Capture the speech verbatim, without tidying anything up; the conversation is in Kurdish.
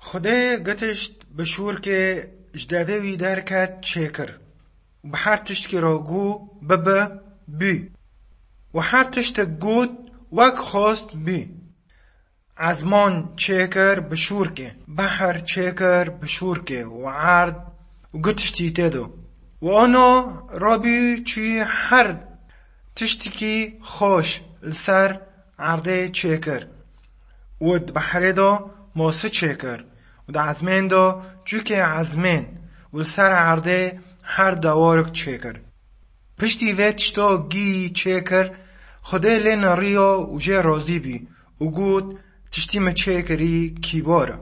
Xwedê gitişt bi şûrkê ji devê wî derket çêkir û bi her tiştkî re got, "Bibe, bû." Û her tiştek got, wek xwest bû. Ezman çêkir bi şûrkê, behr çêkir bi şûrkê û erd û gitiştî tê de. Û ana rabî çû her tiştekî xweş li ser erdê çêkir û di behrê de masi çêkir û di ezmên de çûkê ezmên û li ser erdê her dewarik çêkir. Piştî vê tişta gî çêkir, Xwedê lê neriya û jê razî bî û got, "Tiştî me çêkirî kîbar e."